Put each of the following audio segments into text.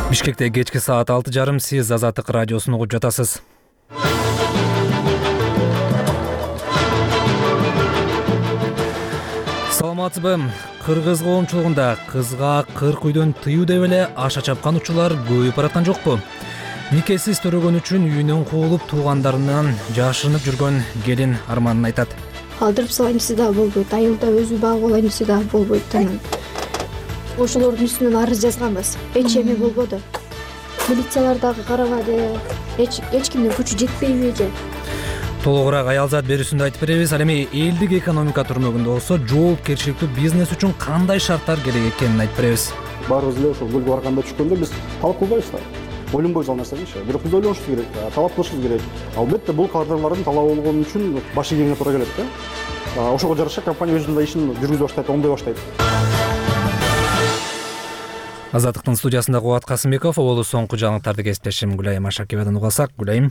Бишкекте кечки саат 6:30 сиз Азаттык радиосун угуп жатасыз. Саламатсызбы? Кыргыз коомчулугунда кызга 40 үйдөн тыюу деп эле аша чапкан учурлар көбөйүп бараткан жокпу? Никесиз төрөгөн үчүн үйүнөн куулуп, туугандарынан жашырынып жүргөн келин арманын айтат. Алдырып салайын десе да болбойт, айылда өзү багып алайын десе да болбойт. Ошолордун үстүнөн арыз жазганбыз, эч эме болбоду. Милициялар дагы карабады, эч кимдин күчү жетпейби же? Толугураак аялзат берүүсүндө айтып беребиз. Ал эми элдик экономика түрмөгүндө болсо жоопкерчиликтүү бизнес үчүн кандай шарттар керек экенин айтып беребиз. Баарыбыз эле ошол көлгө барганда түшкөндө биз талап кылбайбыз да. Ойлонбойбуз ал нерсени, бирок биз ойлонушубуз керек, талап кылышыбыз керек. Албетте бул кадрлардын талабы болгон үчүн баш ийгениңе туура келет да. Ошого жараша компания өзүнүн да ишин жүргүзө баштайт, оңдой баштайт. Азаттыктын студиясында Кубат Касымбеков, болу соңку жаңылыктарды кесиптешим Гүлайым Ашакиевадан угасак. Гүлайым.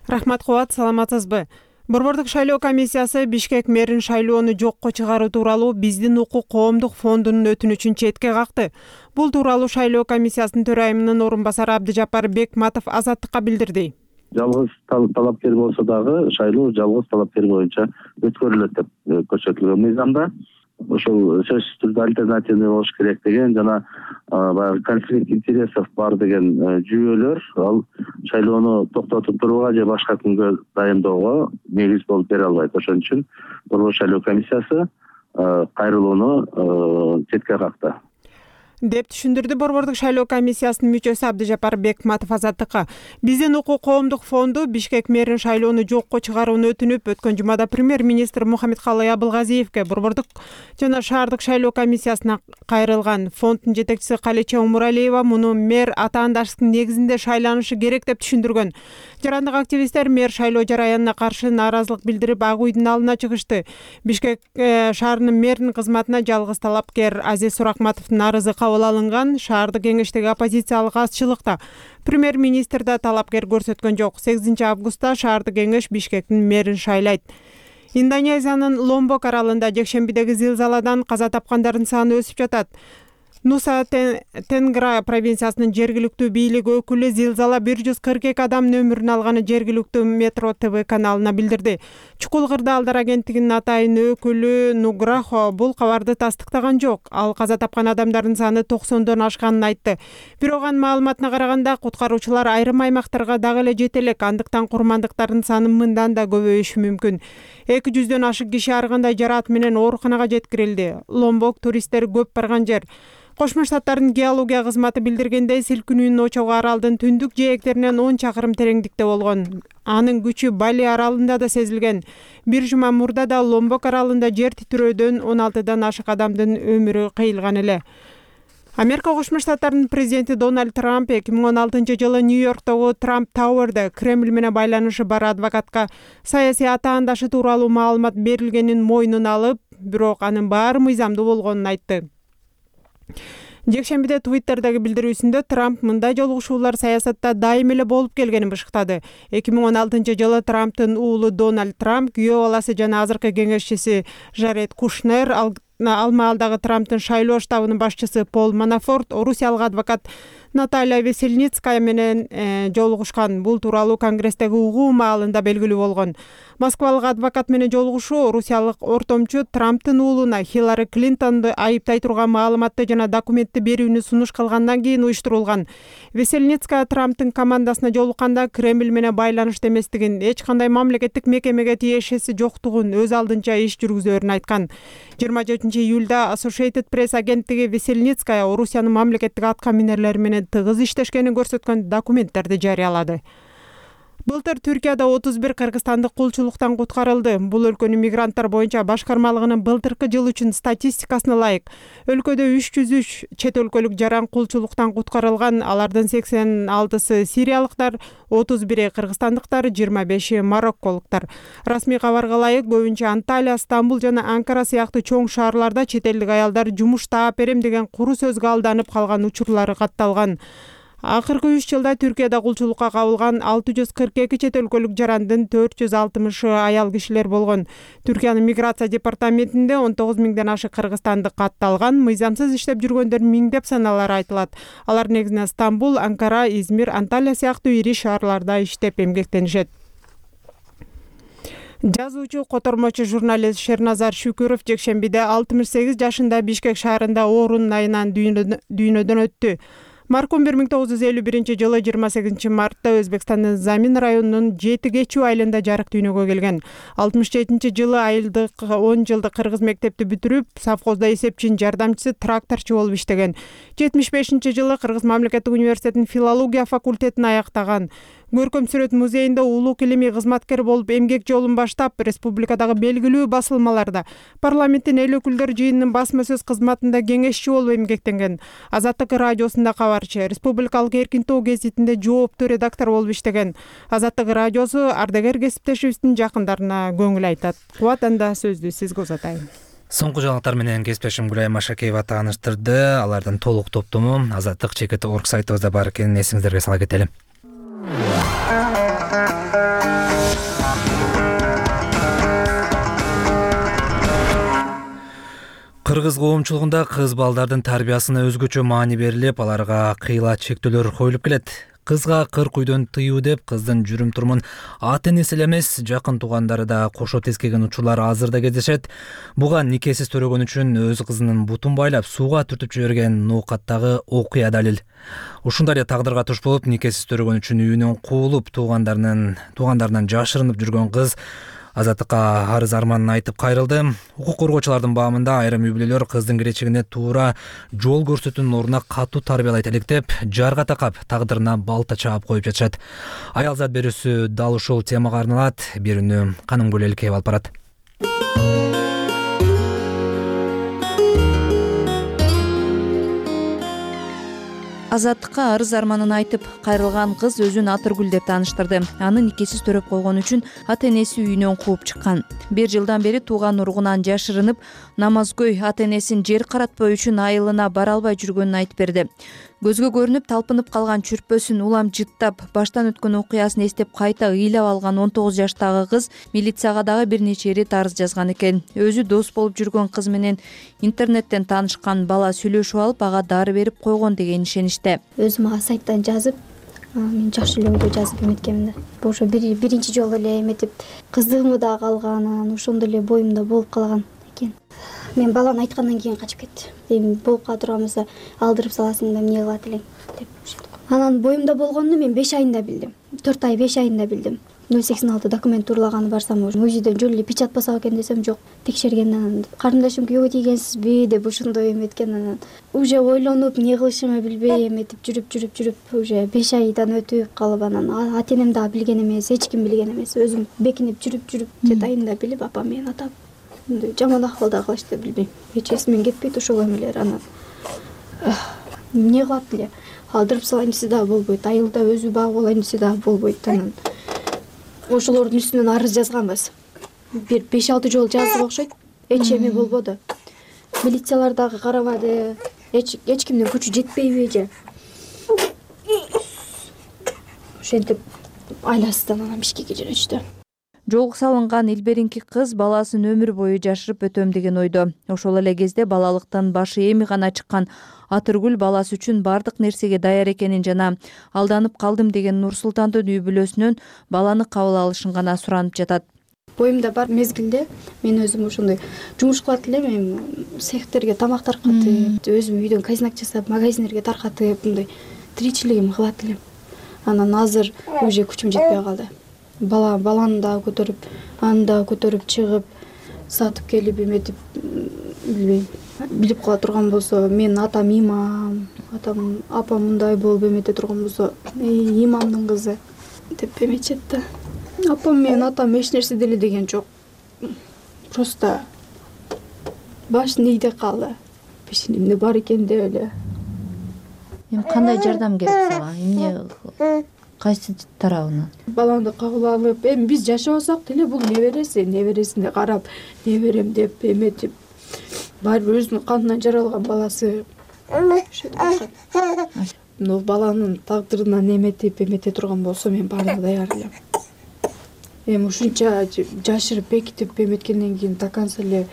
Рахмат Кубат, саламатсызбы? Борбордук шайлоо комиссиясы Бишкек мэрин шайлоону жокко чыгаруу тууралуу Биздин укук коомдук фондунун өтүнүчүн четке какты. Бул тууралуу шайлоо комиссиясынын төрайымынын орун басары Абдыжапар Бекматов Азаттыкка билдирди. Жалгыз талапкер болсо дагы шайлоо жалгыз талапкер боюнча өткөрүлөт деп көрсөтүлгөн мыйзамда. Ошол сөзсүз түрдө альтернативный болуш керек деген жана баягы конфликт интересов бар деген жүйөлөр ал шайлоону токтотуп турууга же башка күнгө дайындоого негиз болуп бере албайт. Ошон үчүн Борбор шайлоо комиссиясы кайрылууну четке какты деп түшүндүрдү Борбордук шайлоо комиссиясынын мүчөсү Абдыжапар Бекматов Азаттыкка. Биздин укук коомдук фонду Бишкек мэрин шайлоону жокко чыгарууну өтүнүп, өткөн жумада премьер-министр Мухаммедкалый Абылгазиевке Борбордук жана шаардык шайлоо комиссиясына кайрылган. Фонддун жетекчиси Калеча Умуралиева муну мэр атаандаштыктын негизинде шайланышы керек деп түшүндүргөн. Жарандык активисттер мэр шайлоо жараянына каршы нааразылык билдирип, Ак үйдүн алдына чыгышты. Бишкек шаарынын мэринин кызматына жалгыз талапкер Азиз Суракматовдун арызы кабыл алынган. Шаардык кеңештеги оппозициялык азчылыкта премьер-министр да талапкер көрсөткөн жок. 8 августта шаардык кеңеш Бишкектин мэрин шайлайт. Индонезиянын Ломбок аралында жекшембидеги зилзаладан каза тапкандардын саны өсүп жатат. Нуса Тенгра провинциясынын жергиликтүү бийлик өкүлү зилзала 142 адамдын өмүрүн алганы жергиликтүү Метро ТВ каналына билдирди. Чукул Кырдаалдар агенттигинин атайын өкүлү Нуграхо бул кабарды тастыктаган жок. Ал каза тапкан адамдардын саны 90дон ашканын айтты. Бирок анын маалыматына караганда куткаруучулар айрым аймактарга дагы эле жете элек, андыктан курмандыктардын саны мындан да көбөйүшү мүмкүн. 200дөн ашык киши ар кандай жараат менен ооруканага жеткирилди. Ломбок туристтер көп барган жер. Кошмо Штаттардын геология кызматы билдиргендей, силкинүүнүн очогу аралдын түндүк жээктеринен 10 чакырым тереңдикте болгон. Анын күчү Бали аралында да сезилген. Бир жума мурда да Ломбок аралында жер титирөөдөн 16дан ашык адамдын өмүрү кыйылган эле. Америка Кошмо Штаттарынын президенти Дональд Трамп 2016-жылы Нью-Йорктогу Трамп Тауэрде Кремль менен байланышы бар адвокатка саясий атаандашы тууралуу маалымат берилгенин мойнуна алып, бирок анын баары мыйзамдуу болгонун айтты. Жекшембиде Twitter'дagi билдирүүсүндө Трамп мындай жолугушуулар саясатта дайым эле болуп келгенин бышыктады. 2016-жылы Трамптын уулу Дональд Трамп, күйөө баласы жана азыркы кеңешчиси Жаред Кушнер, ал маалдагы Трамптын шайлоо штабынын башчысы Пол Манафорт, орусиялык адвокат Наталья Весельницкая менен жолугушкан. Бул тууралуу Конгресстеги угуу маалында белгилүү болгон. Москвалык адвокат менен жолугушуу орусиялык ортомчу Трамптын уулуна Хиллари Клинтонду айыптай турган маалыматты жана документти берүүнү сунуш кылгандан кийин уюштурулган. Весельницкая Трамптын командасына жолукканда Кремль менен байланышта эместигин, эч кандай мамлекеттик мекемеге тиешеси жоктугун, өз алдынча иш жүргүзөөрүн айткан. 24-июлда Associated Press агенттиги Весельницкая Орусиянын мамлекеттик атка минерлери менен тыгыз иштешкенин көрсөткөн документтерди жарыялады. Былтыр Түркияда 31 кыргызстандык кулчулуктан куткарылды. Бул өлкөнүн мигранттар боюнча башкармалыгынын былтыркы жыл үчүн статистикасына ылайык. Өлкөдө 303 чет өлкөлүк жаран кулчулуктан куткарылган. Алардын 86-сы сириялыктар, 31-и кыргызстандыктар, 25-и марокколуктар. Расмий кабарга ылайык, көбүнчө Анталия, Стамбул жана Анкара сыяктуу чоң шаарларда чет элдик аялдар жумуш таап берем деген куру сөзгө алданып калган учурлары катталган. Акыркы 3 жылда Түркияда кулчулукка кабылган 642 чет өлкөлүк жарандын 460 аял кишилер болгон. Түркиянын миграция департаментинде 19 миңден ашык кыргызстандык катталган, мыйзамсыз иштеп жүргөндөр миңдеп саналары айтылат. Алар негизинен Стамбул, Анкара, Измир, Анталия сыяктуу ири шаарларда иштеп эмгектенишет. Жазуучу, котормочу журналист Шерназар Шүкүров жекшембиде 68 жашында Бишкек шаарында оорунун айынан дүйнөдөн өттү. Маркум 1951 жылы 28 мартта Өзбекстандын Замин районунун 7 кечүү айылында жарык дүйнөгө келген. 67 жылы айылдык 10 жылдык кыргыз мектепти бүтүрүп, совхозда эсепчинин жардамчысы, тракторчу болуп иштеген. 75 жылы Кыргыз мамлекеттик университетинин филология факультетин аяктаган. Көркөм сүрөт музейинде улук илимий кызматкер болуп эмгек жолун баштап, республикадагы белгилүү басылмаларда, парламенттин эл өкүлдөр жыйынынын басма сөз кызматында кеңешчи болуп эмгектенген. Азаттык радиосунда кабарчы, Республикалык Эркин тоо гезитинде жооптуу редактор болуп иштеген. Азаттык радиосу ардагер кесиптешибиздин жакындарына көңүл айтат. Кубат, анда сөздү сизге узатайын. Соңку жаңылыктар менен кесиптешим Гүлай Машакеева тааныштырды. Алардын толук топтому azatlyk.org сайтыбызда бар экенин эсиңиздерге сала кетели. Кыргыз коомчулугунда кыз балдардын тарбиясына өзгөчө маани берилип, аларга кыйла чектөөлөр коюлуп келет. Кызга кыр күйдөн тыюу деп кыздын жүрүм турумун ата-энеси эле эмес, жакын туугандары да кошо тескеген учурлар азыр да кездешет. Буга никесиз төрөгөн үчүн өз кызынын бутун байлап сууга түртүп жиберген ноокаттагы окуя далил. Ушундай эле тагдырга туш болуп, никесиз төрөгөн үчүн үйүнөн куулуп, туугандарынан жашырынып жүргөн кыз Азаттыкка арыз арманын айтып кайрылды. Укук коргоочулардын баамында айрым үй бүлөлөр кыздын келечегине туура жол көрсөтүүнүн ордуна катуу тарбиялайт элек деп, жарга такап, тагдырына балта чаап коюп жатышат. Аялзат берүүсү дал ушул темага арналат. Берүүнү Канымгүл Элкеева алып барат. Азаттыкка арыз арманын айтып кайрылган кыз өзүн Атыргүл деп тааныштырды. Аны никесиз төрөп койгон үчүн ата-энеси үйүнөн кууп чыккан. 1 жылдан бери тууган уругунан жашырынып, намазгөй ата-энесин жер каратпоо үчүн айылына бара албай жүргөнүн айтып берди. Көзгө көрүнүп талпынып калган чүрпөсүн улам жыттап, баштан өткөн окуясын эстеп кайта ыйлап алган 19 жаштагы кыз милицияга дагы бир нече ирет арыз жазган экен. Өзү дос болуп жүргөн кыз менен интернеттен таанышкан бала сүйлөшүп алып, ага дары берип койгон деген ишениште. Өзүм ага сайттан жазып, мен жакшы эле ойдо жазып эметкенмин да. Ошо биринчи жолу эле эметип, кыздыгымы дагы калган, ошондо эле боюмда болуп калган экен. Мен баланы айткандан кийин качып кетти. Эми болуп кала турган болсо алдырып саласың да эмне кылат элең деп. Анан боюмда болгонду мен 5 айында билдим. 4 ай 5 айында билдим. 086 документ турлаганы барсам, музейден жөн эле печать басак экен десем, жок, текшергенден анан каарындашым күйөөгө тийгенсизби деп ошондой эметкен. Анан уже ойлонуп, эмне кылышымды билбей эметип жүрүп уже 5 айдан өтүп калып, анан ата-энем дагы билген эмес, эч ким билген эмес. Өзүм бекинип жүрүп детайында билип, апам менен атам жаман акыбалда кылышты билбейм. Эч эсимен кетпейт ошол эмелер. Анан эмне кылат эле? Алдырып салайын десе дагы болбойт. Айылда өзү багып алайын десе дагы болбойт. Анан ошолордун үстүнөн арыз жазганбыз. Бир 5-6 жолу жаздык окшойт. Эч эме болбоду. Милициялар дагы карабады. Эч кимдин күчү жетпейби же? Ошентип айласынан анан Бишкекке жөнөтүштү. Жолго салынган илберинки кыз баласын өмүр бою жашырып өтөм деген ойдо. Ошол эле кезде балалыктан башы эми гана чыккан Атыргүл баласы үчүн бардык нерсеге даяр экенин жана алданып калдым деген Нур-Султандын үй бүлөсүнөн баланы кабыл алышын гана суранып жатат. Боюмда бар мезгилде мен өзүм ошондой жумуш кылат элем, эми цехтерге тамак таркатып, өзүм үйдөн казинак жасап, магазиндерге таркатып, мындай тиричилигим кылат элем. Анан азыр уже күчүм жетпей калды. Баланы да көтөрүп, аны да көтөрүп чыгып, сатып келип эметип, билбейм. Билип кала турган болсо, мен атам имам, апам мындай болуп эмете турган болсо, имамдын кызы деп эметет да. Апам менен атам эч нерсе деле деген жок. Просто баш нейде калды. Пешенемде бар экен деп эле. Эми кандай жардам керек сага? Эмне кайсы тарабынан? Балаңды кабыл алып, эми биз жашабасак деле бул небересине карап, неберем деп эметип, баары бир өзүнүн канынан жаралган баласы. мына баланын тагдырынан эмете турган болсо мен баардыгы даяр элем. Эми ушунча жашырып бекитип эметкенден кийин до конца эле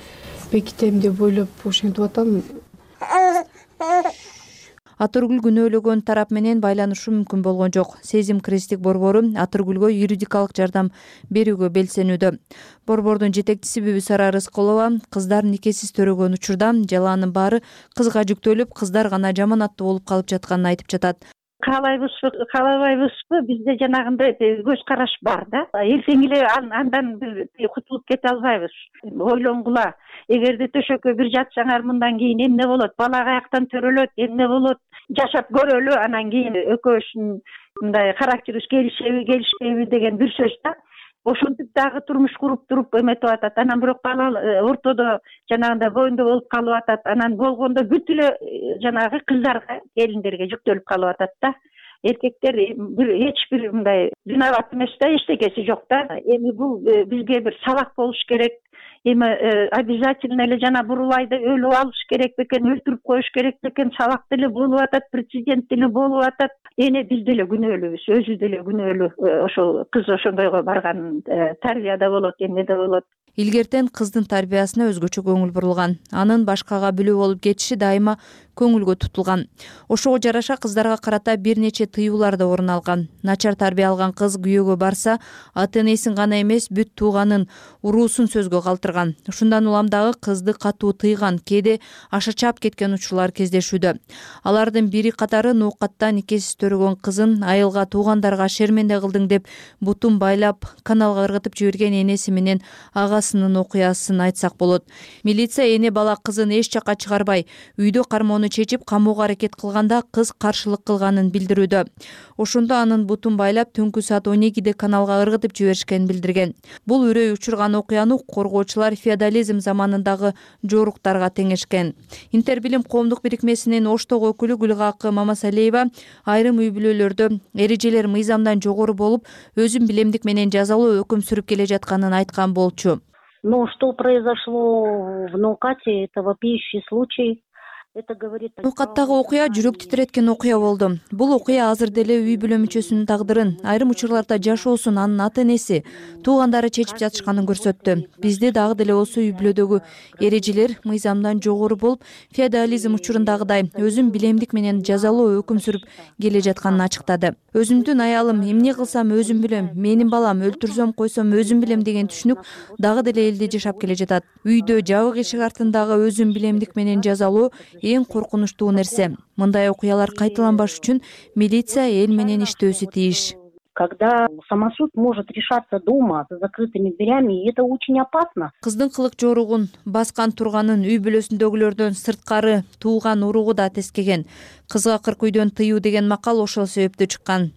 бекитем деп ойлоп ошентип атам. Атыргүл күнөөлөгөн тарап менен байланышы мүмкүн болгон жок. Сезим кресттик борбору Атыргүлгө юридикалык жардам берүүгө белсенүүдө. Борбордун жетекчиси Бүбүсара Рыскулова кыздар никесиз төрөгөн учурда жалаанын баары кызга жүктөлүп, кыздар гана жаманаттуу болуп калып жатканын айтып жатат. Каалайбызбы, бизде жанагындай көз караш бар да. Эртең эле андан кутулуп кете албайбыз. Ойлонгула, эгерде төшөккө бир жатсаңар мындан кийин эмне болот, бала каяктан төрөлөт, эмне болот, жашап көрөлү, анан кийин экөөбүздүн мындай характерибиз келишпейби деген бир сөз да. Ошентип дагы турмуш куруп туруп эметип атат. Анан бирок бала ортодо жанагындай боюнда болуп калып атат. Анан болгондо бүт эле жанагы кыздарга, келиндерге жүктөлүп калып атат да. Эркектер эч бир мындай виноват эмес да, эчтекеси жок да. Эми бул бизге бир сабак болуш керек. Эми обязательно эле жана бурулайды өлүп алыш керек бекен, өлтүрүп коюш керек бекен, сабак деле болуп атат, прецедент деле болуп атат. Эне биз деле күнөөлүүбүз, өзү деле күнөөлүү. Ошол кыз ошондойго барган, тарбияда болот, эмнеде болот. Илгертен кыздын тарбиясына өзгөчө көңүл бурулган. Анын башкага бүлө болуп кетиши дайыма көңүлгө тутулган. Ошого жараша кыздарга карата бир нече тыюулар да орун алган. Начар тарбия алган кыз күйөөгө барса, ата-энесин гана эмес, бүт тууганын, уруусун сөзгө калтырган. Ушундан улам дагы кызды катуу тыйган, кээде аша чаап кеткен учурлар кездешүүдө. Алардын бири катары ноокатта никесиз төрөгөн кызын айылга, туугандарга шерменде кылдың деп бутун байлап, каналга ыргытып жиберген энеси менен агасынын окуясын айтсак болот. Милиция эне бала кызын эч жакка чыгарбай, үйдө кармоону чечип камоого аракет кылганда кыз каршылык кылганын билдирүүдө. Ошондо анын бутун байлап түнкү саат 12-де каналга ыргытып жиберишкенин билдирген. Бул үрөй учурган окуяны коргоочулар феодализм заманындагы жоруктарга теңешкен. Интербилим коомдук бирикмесинин Оштогу өкүлү Гүлгакы Мамасалиева айрым үй бүлөлөрдө эрежелер мыйзамдан жогору болуп, өзүн билемдик менен жазалоо өкүм сүрүп келе жатканын айткан болчу. Но что произошло в Ноокате, это вопиющий случай. Ноокаттагы окуя жүрөк титиреткен окуя болду. Бул окуя азыр деле үй бүлө мүчөсүнүн тагдырын, айрым учурларда жашоосун анын ата-энеси, туугандары чечип жатышканын көрсөттү. Бизде дагы деле осы үй бүлөдөгү эрежелер мыйзамдан жогору болуп, феодализм учурундагыдай өзүн билемдик менен жазалоо өкүм сүрүп келе жатканын ачыктады. Өзүмдүн аялым эмне кылсам өзүм билем, менин балам өлтүрсөм койсом өзүм билем деген түшүнүк дагы деле элде жашап келе жатат. Үйдө жабык эшик артындагы өзүн билемдик менен жазалоо эң коркунучтуу нерсе. Мындай окуялар кайталанбаш үчүн милиция эл менен иштөөсү тийиш. Когда самосуд может решаться дома за закрытыми дверями, и это очень опасно. Кыздын кылык жоругун баскан турганын үй бүлөсүндөгүлөрдөн сырткары тууган уругу да тескеген. Кызга 40 үйдөн тыюу деген макал ошол себептүү чыккан.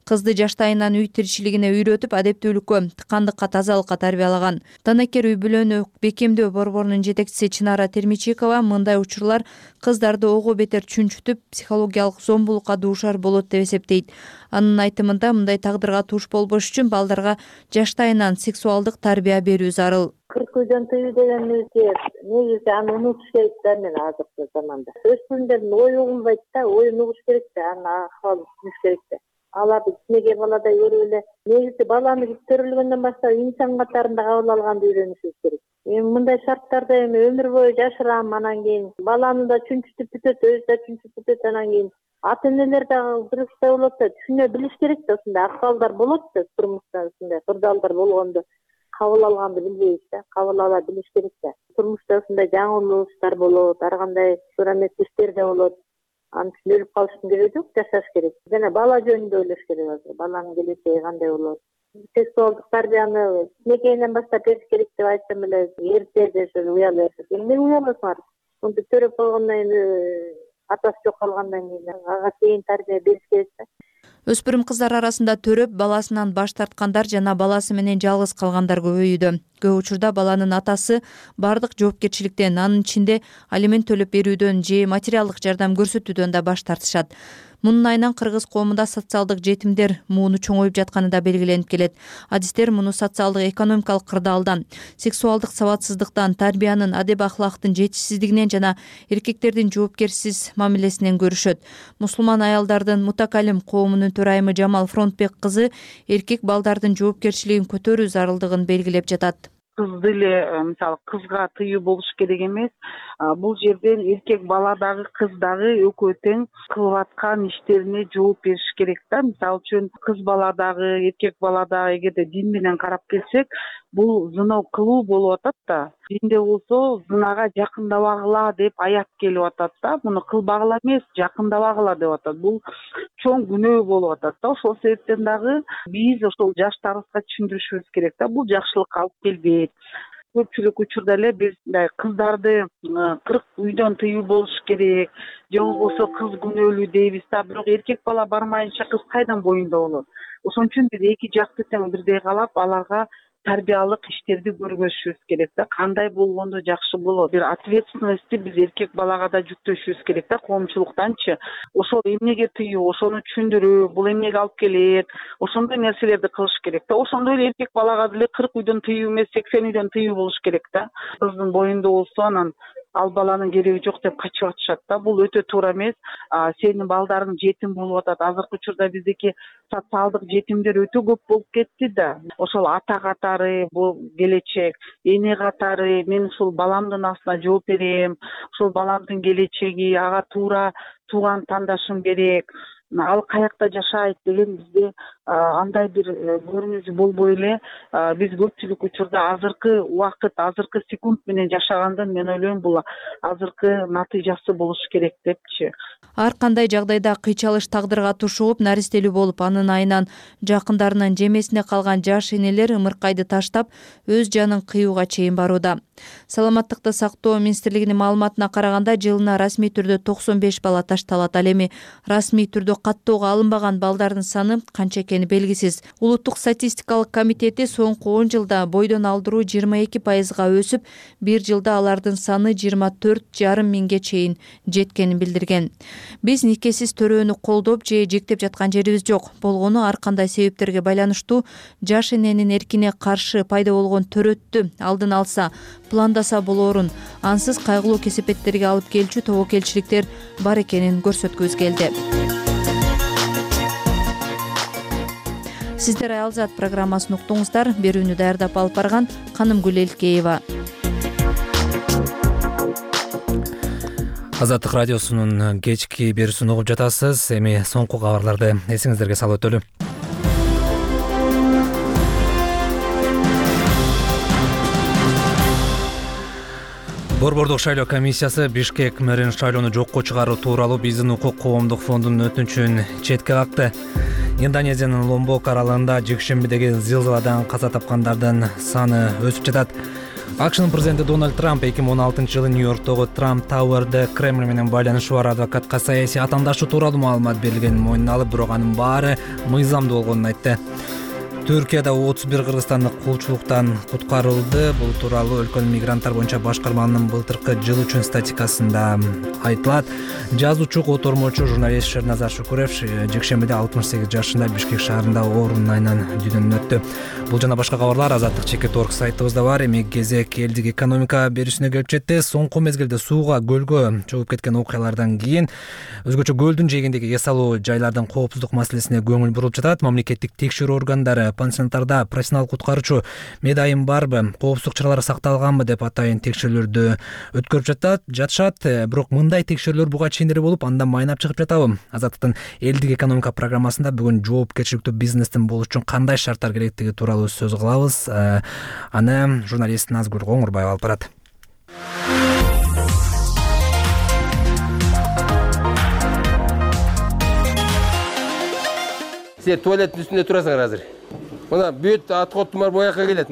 Кызды жаштайынан үй тиричилигине үйрөтүп, адептүүлүккө, тыкандыкка, тазалыкка тарбиялаган. Данакер үй бүлөнү бекемдөө борборунун жетекчиси Чынара Термичикова мындай учурлар кыздарды ого бетер чүнчүтүп, психологиялык зомбулукка дуушар болот деп эсептейт. Анын айтымында мындай тагдырга туш болбош үчүн балдарга жаштайынан сексуалдык тарбия берүү зарыл. 40 үйдөн тыюу деген негизи аны унутуш керек да, мен азыркы заманда. Өспүрүмдөрдүн ою угулбайт да, оюн угуш керек да, анын акыбалын түшүнүш керек да. Аларды кичинекей баладай көрүп эле негизи баланы төрөлгөндөн баштап инсан катарында кабыл алганды үйрөнүшүбүз керек. Эми мындай шарттарда эми өмүр бою жашырам, анан кийин баланы да чүнчүтүп бүтөт, өзү да чүнчүтүп бүтөт, анан кийин ата-энелер дагы дурустай болот да, түшүнө билиш керек да, ушундай акыбалдар болот да, турмушта ушундай кырдаалдар болгондо кабыл алганды билбейбиз да, кабыл ала билиш керек да. Турмушта ушундай жаңылыштар болот, ар кандай сураметтик иштер да болот. Анын үчүн өлүп калыштын кереги жок, жашаш керек. Жана бала жөнүндө ойлош керек азыр. Баланын келечеги кандай болот? Сексуалдык тарбияны кичинекейинен баштап бериш керек деп айтсам эле, эрте жашап, уялып жашап. Эмне уяласыңар? Мынтип төрөп койгондон кийин атасы жок калгандан кийин ага чейин тарбия бериш керек да. Өспүрүм кыздар арасында төрөп, баласынан баш тарткандар жана баласы менен жалгыз калгандар көбөйүүдө. Көп учурда баланын атасы бардык жоопкерчиликтен, анын ичинде алимент төлөп берүүдөн же материалдык жардам көрсөтүүдөн да баш тартышат. Мунун айынан кыргыз коомунда социалдык жетимдер мууну чоңоюп жатканы да белгиленип келет. Адистер муну социалдык экономикалык кырдаалдан, сексуалдык сабатсыздыктан, тарбиянын, адеп ахлактын жетишсиздигинен жана эркектердин жоопкерсиз мамилесинен көрүшөт. Мусулман аялдардын мутакалим коомунун төрайымы Жамал Фронтбек кызы эркек балдардын жоопкерчилигин көтөрүү зарылдыгын белгилеп жатат. Кызды эле мисалы кызга тыюу болуш керек эмес. Бул жерден эркек бала дагы кыз дагы экөө тең кылып аткан иштерине жооп бериш керек да. Мисалы үчүн кыз бала дагы эркек бала дагы эгерде дин менен карап келсек, бул зына кылуу болуп атат да. Динде болсо зынага жакындабагыла деп аят келип атат да. Муну кылбагыла эмес, жакындабагыла деп атат. Бул чоң күнөө болуп атат да. Ошол себептен дагы биз ошол жаштарыбызга түшүндүрүшүбүз керек да. Бул жакшылыкка алып келбейт. Көпчүлүк учурда эле биз мындай кыздарды 40 үйдөн тыюу болуш керек, же болбосо кыз күнөөлүү дейбиз да. Бирок эркек бала бармайынча кыз кайдан боюнда болот? Ошон үчүн биз эки жакты тең бирдей калап, аларга тарбиялык иштерди көргөзүшүбүз керек да. Кандай болгондо жакшы болот? Бир ответственностьти биз эркек балага да жүктөшүбүз керек да, коомчулуктанчы. Ошол эмнеге тыюу, ошону түшүндүрүү, бул эмнеге алып келет, ошондой нерселерди кылыш керек да. Ошондой эле эркек балага деле 40 үйдөн тыюу эмес, 80 үйдөн тыюу болуш керек да. Кыздын боюнда болсо анан ал баланын кереги жок деп качып атышат да. Бул өтө туура эмес. Сенин балдарың жетим болуп атат. Азыркы учурда биздики социалдык жетимдер өтө көп болуп кетти да. Ошол ата катары, бул келечек, эне катары, мен ушул баламдын астына жооп берем, ушул баламдын келечеги, ага туура тууган тандашым керек, ал каякта жашайт деген бизде андай бир көрүнүш болбой эле биз көпчүлүк учурда азыркы убакыт, азыркы секунд менен жашагандан мен ойлойм бул азыркы натыйжасы болуш керек депчи. Ар кандай жагдайда кыйчалыш тагдырга тушууп, наристелүү болуп, анын айынан жакындарынын жемесине калган жаш энелер ымыркайды таштап, өз жанын кыюуга чейин барууда. Саламаттыкты сактоо министрлигинин маалыматына караганда, жылына расмий түрдө 95 бала ташталат. Ал эми расмий түрдө каттоого алынбаган балдардын саны канча экени белгисиз. Улуттук статистикалык комитети соңку 10 жылда бойдон алдыруу 22%га өсүп, бир жылда алардын саны 24,5 миңге чейин жеткенин билдирген. Биз никесиз төрөөнү колдоп же жектеп жаткан жерибиз жок. Болгону ар кандай себептерге байланыштуу жаш эненин эркине каршы пайда болгон төрөттү алдын алса, пландаса болоорун, ансыз кайгылуу кесепеттерге алып келчү тобокелчиликтер бар экенин көрсөткүбүз келди. Сиздер Аялзат программасын уктуңуздар. Берүүнү даярдап алып барган Канымгүл Элкеева. Азаттык радиосунун кечки берүүсүн угуп жатасыз. Эми соңку кабарларды эсиңиздерге салып өтөлү. Борбордук шайлоо комиссиясы Бишкек мэрин шайлоону жокко чыгаруу тууралуу Биздин укук коомдук фондунун өтүнүчүн четке какты. Индонезиянын Ломбок аралында жекшембидеги зилзаладан каза тапкандардын саны өсүп жатат. АКШнын президенти Дональд Трамп 2016 жылы Нью-Йорктогу Трамп Тауэрде Кремль менен байланышы бар адвокатка саясий атаандашы тууралуу маалымат берилгенин мойнуна алып, бирок анын баары мыйзамдуу болгонун айтты. Түркияда 31 кыргызстандык кулчулуктан куткарылды. Бул тууралуу өлкөнүн мигранттар боюнча башкарманын былтыркы жыл үчүн статистикасында айтылат. Жазуучу, котормочу, журналист Шерназар Шукуров жекшембиде 68 жашында Бишкек шаарында оорунун айынан дүйнөдөн өттү. Бул жана башка кабарлар Азаттык.org сайтыбызда бар. Эми кезек элдик экономика берүүсүнө келип жетти. Соңку мезгилде сууга, көлгө чогуп кеткен окуялардан кийин өзгөчө көлдүн жээгиндеги эс алуу жайлардын коопсуздук маселесине көңүл бурулуп жатат. Мамлекеттик текшерүү органдары пансионаттарда профессионалдык куткаруучу медайым барбы, коопсуздук чаралары сакталганбы деп атайын текшерүүлөрдү өткөрүп жатышат. Бирок мындай текшерүүлөр буга чейин эле болуп, андан майнап чыгып жатабы? Азаттыктын элдик экономика программасында бүгүн жоопкерчиликтүү бизнестин болуш үчүн кандай шарттар керектиги тууралуу сөз кылабыз. Аны журналист Назгүл Коңурбаева алып барат. Сен туалеттин үстүндө турасыңар азыр. Мына бүт аткоттумар боякка келет.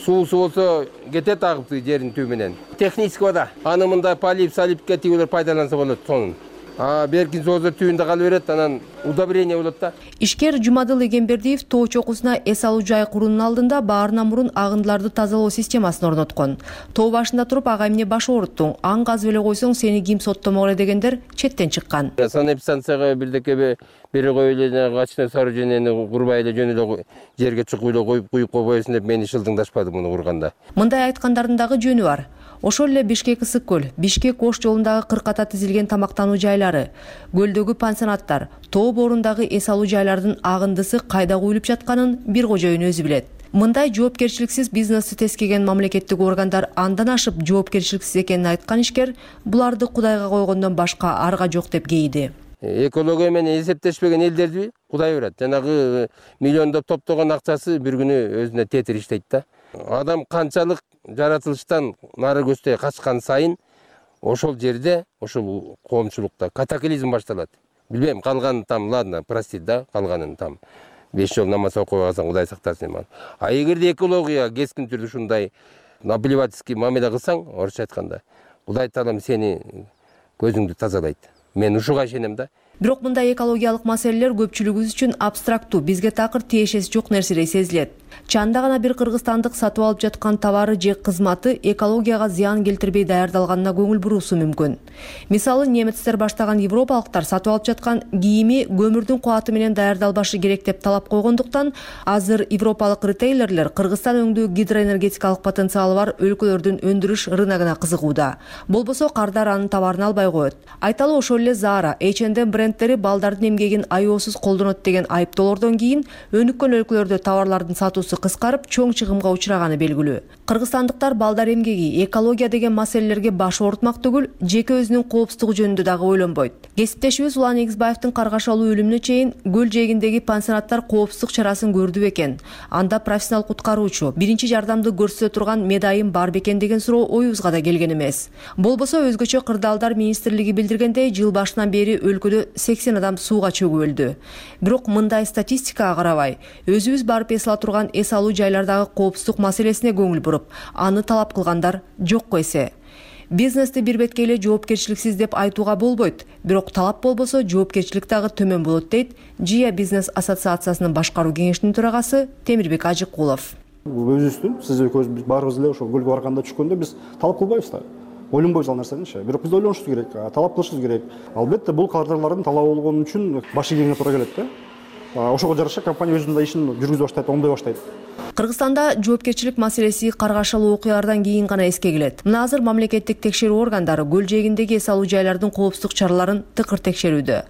Суусу болсо кетет агып жердин түбү менен. Технический вода. Аны мындай полип салипке тигилер пайдаланса болот сонун. Беркин соозо түбүндө кала берет, анан удобрение болот да. Ишкер Жумадыл Эгембердиев тоо чокусуна эс алуу жай куруунун алдында баарынан мурун агындыларды тазалоо системасын орноткон. Тоо башында туруп ага эмне баш ооруттуң, аң казып эле койсоң сени ким соттомок эле дегендер четтен чыккан. Санэпидстанцияга бирдеке бере коюп эле качкан сооружениени курбай эле жөн эле жерге чукуп эле коюп койбойсуң деп мени шылдыңдашпады муну курганда. Мындай айткандардын дагы жөнү бар. Ошол эле Бишкек Ысык көл, Бишкек Ош жолундагы кырката тизилген тамактануу жайлары, көлдөгү пансионаттар, тоо боорундагы эс алуу жайлардын агындысы кайда куюлуп жатканын бир кожоюн өзү билет. Мындай жоопкерчиликсиз бизнести тескеген мамлекеттик органдар андан ашып жоопкерчиликсиз экенин айткан ишкер буларды Кудайга койгондон башка арга жок деп кейди. Экология менен эсептешпеген элдерди Кудай урат. Жанагы миллиондоп топтогон акчасы бир күнү өзүнө тетир иштейт да. Адам канчалык жаратылыштан нары көздөй качкан сайын ошол жерде, ошол коомчулукта катаклизм башталат. Билбейм, калган там, ладно, простит да, калганын там 5 жол намаз окуй калсаң Кудай сактасын. А эгерде экология кескин түрдө ушундай наплевательский мамиле кылсаң, орусча айтканда, Кудай Таалам сени көзүңдү тазалайт. Мен ушуга ишенем да. Бирок мындай экологиялык маселелер көпчүлүгүбүз үчүн абстрактуу, бизге такыр тиешеси жок нерседей сезилет. Чанда гана бир кыргызстандык сатып алып жаткан товары же кызматы экологияга зыян келтирбей даярдалганына көңүл буруусу мүмкүн. Мисалы, немецтер баштаган европалыктар сатып алып жаткан кийими көмүрдүн кубаты менен даярдалбашы керек деп талап койгондуктан, азыр европалык ритейлерлер Кыргызстан өңдүү гидроэнергетикалык потенциалы бар өлкөлөрдүн өндүрүш рыногуна кызыгууда. Болбосо кардар анын товарын албай коет. Айталы, ошол эле Zara, H&M брендтери балдардын эмгегин аеосуз колдонот деген айыптоолордон кийин өнүккөн өлкөлөрдө товарлардын сатуусу кыскарып, чоң чыгымга учураганы белгилүү. Кыргызстандыктар балдар эмгеги, экология деген маселелерге баш оорутмак түгүл, жеке өзүнүн коопсуздугу жөнүндө дагы ойлонбойт. Кесиптешибиз Улан Эгизбаевдин каргашалуу өлүмүнө чейин көл жээгиндеги пансионаттар коопсуздук чарасын көрдү бекен? Анда профессионал куткаруучу, биринчи жардамды көрсөтө турган медайым бар бекен деген суроо оюбузга да келген эмес. Болбосо өзгөчө кырдаалдар министрлиги билдиргендей, жыл башынан бери өлкөдө 80 адам сууга чөгүп өлдү. Бирок мындай статистикага карабай, өзүбүз барып эс ала турган эс алуу жайлардагы коопсуздук маселесине көңүл буруп, аны талап кылгандар жокко эсе. Бизнести бир бетке эле жоопкерчиликсиз деп айтууга болбойт, бирок талап болбосо жоопкерчилик дагы төмөн болот дейт Жия бизнес ассоциациясынын башкаруу кеңешинин төрагасы Темирбек Ажыкулов. Өзүбүздүн, сиз экөөбүз баарыбыз эле ошол көлгө барганда түшкөндө биз талап кылбайбыз да. Ойлонбойбуз ал нерсеничи. Бирок биз ойлонушубуз керек, талап кылышыбыз керек. Албетте бул кардарлардын талабы болгон үчүн баш ийгенге туура келет да. Ошого жараша компания өзүнүн да ишин жүргүзө баштайт, оңдой баштайт. Кыргызстанда жоопкерчилик маселеси каргашалуу окуялардан кийин гана эске келет. Мына азыр мамлекеттик текшерүү органдары көл жээгиндеги эс алуу жайлардын коопсуздук чараларын тыкыр текшерүүдө.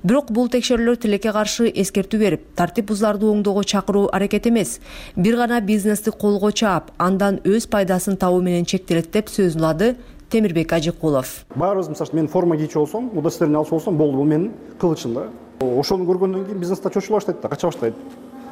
Бирок бул текшерүүлөр тилекке каршы эскертүү берип, тартип бузууларды оңдоого чакыруу аракет эмес, бир гана бизнести колго чаап, андан өз пайдасын табуу менен чектелет деп сөзүн улады Темирбек Ажыкулов. Баарыбыз, мисалы, мен форма кийчү болсом, удостоверение алчу болсом, болду, бул менин кылычым да. Ошону көргөндөн кийин бизнесте чочула баштайт да, кача баштайт.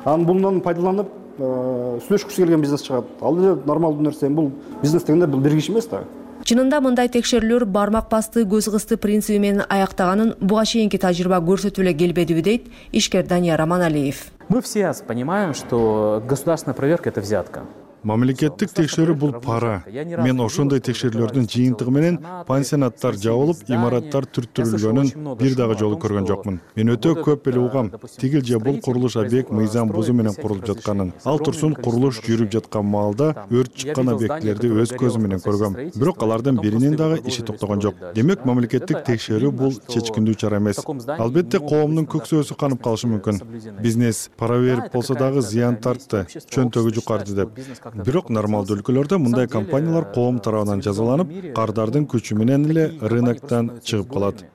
Анан бундан пайдаланып, сүйлөшкүсү келген бизнес чыгат. Ал эле нормалдуу нерсе, бул бизнес дегенде бул бир киши эмес да. Чынында мындай текшерүүлөр бармак басты, көз кысты принциби менен аяктаганын буга чейинки тажрыйба көрсөтүп эле келбедиби дейт ишкер Данияр Аманалиев. Мы все понимаем, что государственная проверка — это взятка. Мамлекеттик текшерүү бул пара. Мен ошондой текшерүүлөрдүн жыйынтыгы менен пансионаттар жабылып, имараттар түрттүрүлгөнүн бир дагы жолу көргөн жокмун. Мен өтө көп эле угам, тигил же бул курулуш объект мыйзам бузуу менен курулуп жатканын. Ал турсун курулуш жүрүп жаткан маалда өрт чыккан объектилерди өз көзүм менен көргөм. Бирок алардын биринин дагы иши токтогон жок. Демек, мамлекеттик текшерүү бул чечкиндүү чара эмес. Албетте коомдун көксөөсү канып калышы мүмкүн. Бизнес пара берип болсо дагы зыян тартты, чөнтөгү жукарды деп. Бирок нормалдуу өлкөлөрдө мындай компаниялар коом тарабынан жазаланып, кардардын күчү менен эле рыноктон чыгып калат.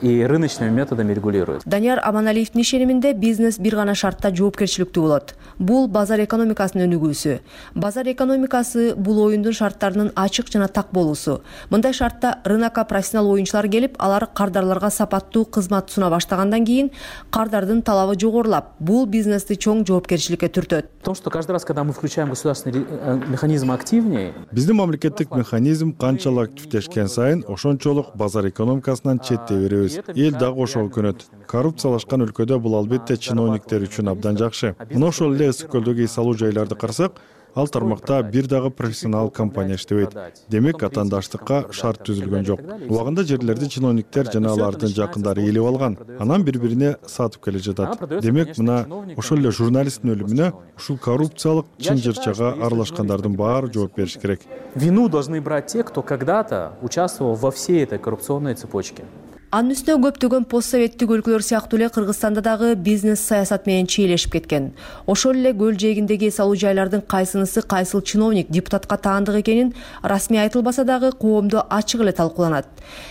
И рыночными методами регулируют. Данияр Аманалиевдин ишениминде бизнес бир гана шартта жоопкерчиликтүү болот. Бул базар экономикасынын өнүгүүсү. Базар экономикасы бул оюндун шарттарынын ачык жана так болуусу. Мындай шартта рынокко профессионал оюнчулар келип, алар кардарларга сапаттуу кызмат суна баштагандан кийин кардардын талабы жогорулап, бул бизнести чоң жоопкерчиликке түртөт. То, что каждый раз, когда мы включаем государственный механизм активнее, биздин мамлекеттик механизм канчалык активдешкен сайын ошончолук базар экономикасынан четтей беребиз. Эл дагы ошого көнөт. Коррупциялашкан өлкөдө бул албетте чиновниктер үчүн абдан жакшы. Мына ошол эле Ысык көлдөгү эс алуу жайларды карасак, ал тармакта бир дагы профессионал компания иштебейт. Демек атаандаштыкка шарт түзүлгөн жок. Убагында жерлерди чиновниктер жана алардын жакындары ээлеп алган, анан бири-бирине сатып келе жатат. Демек мына ошол эле журналисттин өлүмүнө ушул коррупциялык чын-жырчага аралашкандардын баары жооп бериш керек. Вину должны брать те, кто когда-то участвовал во всей этой коррупционной цепочке. Анын үстүнө көптөгөн постсоветтик өлкөлөр сыяктуу эле Кыргызстанда дагы бизнес саясат менен чийлешип кеткен. Ошол эле көл жээгиндеги эс алуу жайлардын кайсынысы кайсыл чиновник депутатка таандык экенин расмий айтылбаса дагы коомдо ачык эле талкууланат.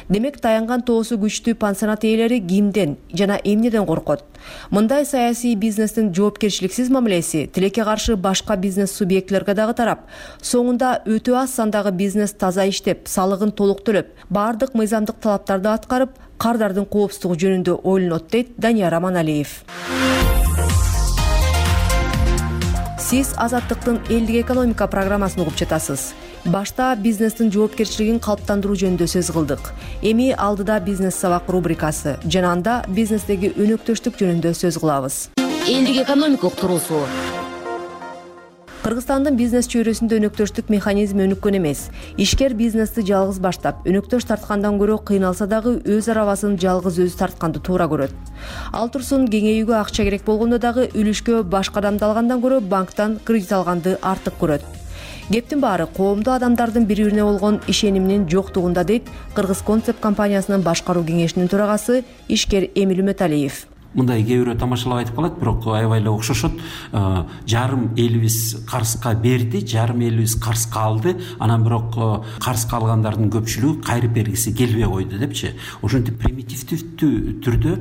Демек таянган тоосу күчтүү пансионат ээлери кимден жана эмнеден коркот? Мындай саясий бизнестин жоопкерчиликсиз мамилеси тилекке каршы башка бизнес субъектилерге дагы тарап, соңунда өтө аз сандагы бизнес таза иштеп, салыгын толук төлөп, баардык мыйзамдык талаптарды аткарып, кардардын коопсуздугу жөнүндө ойлонот дейт Данияр Аманалиев. Сиз Азаттыктын элдик экономика программасын угуп жатасыз. Башта бизнестин жоопкерчилигин калыптандыруу жөнүндө сөз кылдык. Эми алдыда бизнес сабак рубрикасы жана анда бизнестеги өнөктөштүк жөнүндө сөз кылабыз. Элдик экономика уктуруусу. Кыргызстандын бизнес чөйрөсүндө өнөктөштүк механизми өнүккөн эмес. Ишкер бизнести жалгыз баштап, өнөктөш тарткандан көрө кыйналса дагы өз арабасын жалгыз өзү тартканды туура көрөт. Ал турсун кеңейүүгө акча керек болгондо дагы үлүшкө башка адамды алгандан көрө банктан кредит алганды артык көрөт. Кептин баары коомдо адамдардын бири-бирине болгон ишениминин жоктугунда дейт Кыргыз Концепт компаниясынын башкаруу кеңешинин төрагасы ишкер Эмил Үмөталиев. Мындай кээ бирөө тамашалап айтып калат, бирок аябай эле окшошот. Жарым элибиз карызга берди, жарым элибиз карызга алды, анан бирок карызга алгандардын көпчүлүгү кайрып бергиси келбей койду депчи. Ошентип примитивдүү түрдө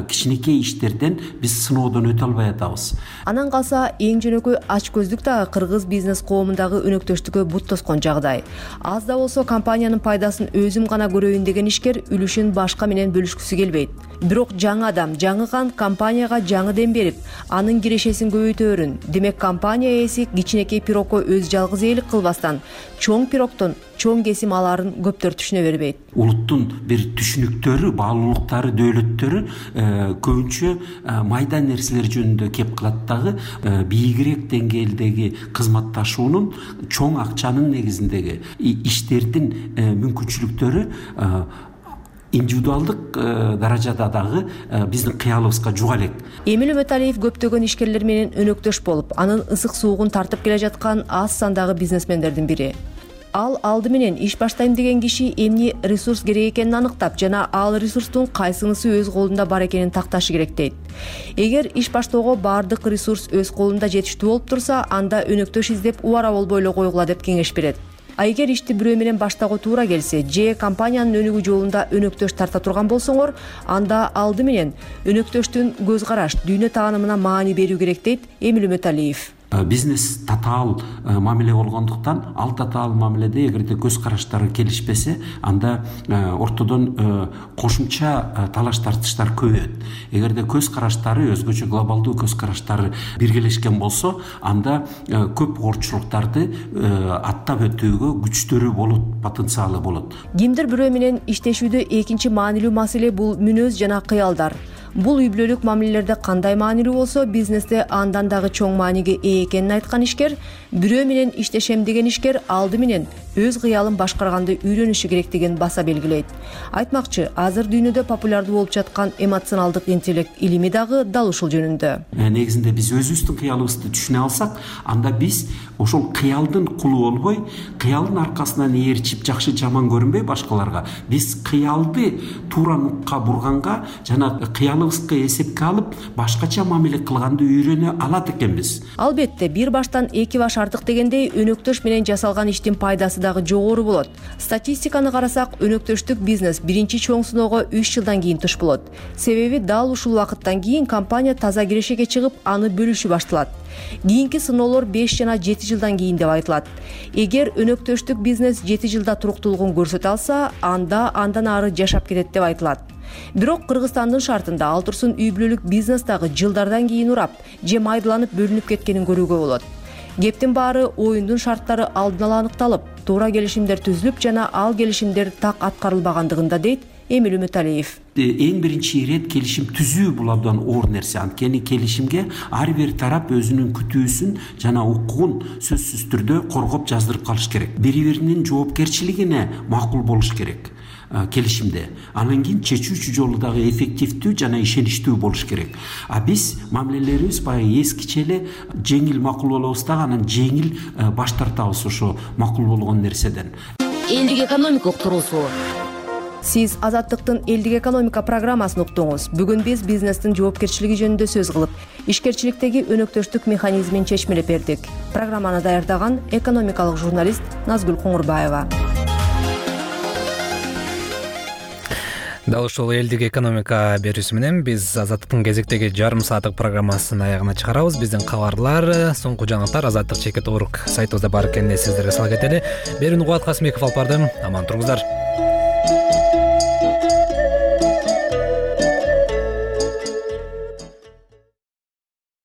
кичинекей иштерден биз сыноодон өтө албай атабыз. Анан калса эң жөнөкөй ачкөздүк дагы кыргыз бизнес коомундагы өнөктөштүккө бут тоскон жагдай. Аз да болсо компаниянын пайдасын өзүм гана көрөйүн деген ишкер үлүшүн башка менен бөлүшкүсү келбейт. Бирок жаңы адам, жаңы кан компанияга жаңы дем берип, анын кирешесин көбөйтөөрүн. Демек компания ээси кичинекей пирогко өз жалгыз ээлик кылбастан, чоң пирогдон чоң кесим аларын көптөр түшүнө бербейт. Улуттун бир түшүнүктөрү, баалуулуктары, дөөлөттөрү көбүнчө майда нерселер жөнүндө кеп кылат дагы бийигирээк деңгээлдеги кызматташуунун, чоң акчанын негизиндеги иштердин мүмкүнчүлүктөрү индивидуалдык даражада дагы биздин кыялыбызга жуга элек. Эмил Үмөталиев көптөгөн ишкерлер менен өнөктөш болуп, анын ысык суугун тартып келе жаткан аз сандагы бизнесмендердин бири. Ал алды менен иш баштайм деген киши эмне ресурс керек экенин аныктап жана ал ресурстун кайсынысы өз колунда бар экенин такташы керек дейт. Эгер иш баштоого баардык ресурс өз колунда жетиштүү болуп турса, анда өнөктөш издеп убара болбой эле койгула деп кеңеш берет. А эгер ишти бирөө менен баштоого туура келсе, же компаниянын өнүгүү жолунда өнөктөш тарта турган болсоңор, анда алды менен өнөктөштүн көз караш, дүйнө таанымына маани берүү керек дейт Эмил Үмөталиев. Бизнес татаал мамиле болгондуктан, ал татаал мамиледе эгерде көз караштары келишпесе, анда ортодон кошумча талаш тартыштар көбөйөт. Эгерде көз караштары, өзгөчө глобалдуу көз караштары биргелешкен болсо, анда көп оорчулуктарды аттап өтүүгө күчтөрү болот, потенциалы болот. Кимдир бирөө менен иштешүүдө экинчи маанилүү маселе бул мүнөз жана кыялдар. Бул үй бүлөлүк мамилелерде кандай маанилүү болсо, бизнесте андан дагы чоң мааниге ээ экенин айткан ишкер, бирөө менен иштешем деген ишкер алды менен өз кыялын башкарганды үйрөнүшү керектигин баса белгилейт. Айтмакчы, азыр дүйнөдө популярдуу болуп жаткан эмоционалдык интеллект илими дагы дал ушул жөнүндө. Негизинде биз өзүбүздүн кыялыбызды түшүнө алсак, анда биз ошол кыялдын кулу болбой, кыялдын аркасынан ээрчип жакшы жаман көрүнбөй башкаларга, биз кыялды туура нукка бурганга жана кыялыбызга эсепке алып, башкача мамиле кылганды үйрөнө алат экенбиз. Албетте, бир баштан эки баш артык дегендей, өнөктөш менен жасалган иштин пайдасы дагы жогору болот. Статистиканы карасак, өнөктөштүк бизнес биринчи чоң сыноого 3 жылдан кийин туш болот. Себеби дал ушул убакыттан кийин компания таза кирешеге чыгып, аны бөлүшү башталат. Кийинки сыноолор 5 жана 7 жылдан кийин деп айтылат. Эгер өнөктөштүк бизнес 7 жылда туруктуулугун көрсөтө алса, анда андан ары жашап кетет деп айтылат. Бирок Кыргызстандын шартында ал турсун үй бүлөлүк бизнес дагы жылдардан кийин урап, же майдаланып бөлүнүп кеткенин көрүүгө болот. Кептин баары оюндун шарттары алдын ала аныкталып, туура келишимдер түзүлүп жана ал келишимдер так аткарылбагандыгында дейт Эмил Үмүталиев. Эң биринчи ирет келишим түзүү бул абдан оор нерсе. Анткени келишимге ар бир тарап өзүнүн күтүүсүн жана укугун сөзсүз түрдө коргоп жаздырып калыш керек. Бири биринин жоопкерчилигине макул болуш керек келишимде. Анан кийин чечүүчү жолу дагы эффективдүү жана ишеничтүү болуш керек. А биз мамилелерибиз баягы эскиче эле жеңил макул болобуз дагы, анан жеңил баш тартабыз ошо макул болгон нерседен. Элдик экономикалык туруусу. Сиз Азаттыктын элдик экономика программасын уктуңуз. Бүгүн биз бизнестин жоопкерчилиги жөнүндө сөз кылып, ишкерчиликтеги өнөктөштүк механизмин чечмелеп бердик. Программаны даярдаган экономикалык журналист Назгүл Коңурбаева. Дал ушул элдик экономика берүүсү менен биз Азаттыктын кезектеги жарым сааттык программасын аягына чыгарабыз. Биздин кабарлар, соңку жаңылыктар Азаттык.org сайтыбызда бар экенин эсиңиздерге сала кетели. Берүүнү Кубат Касымбеков алып бардым. Аман туруңуздар.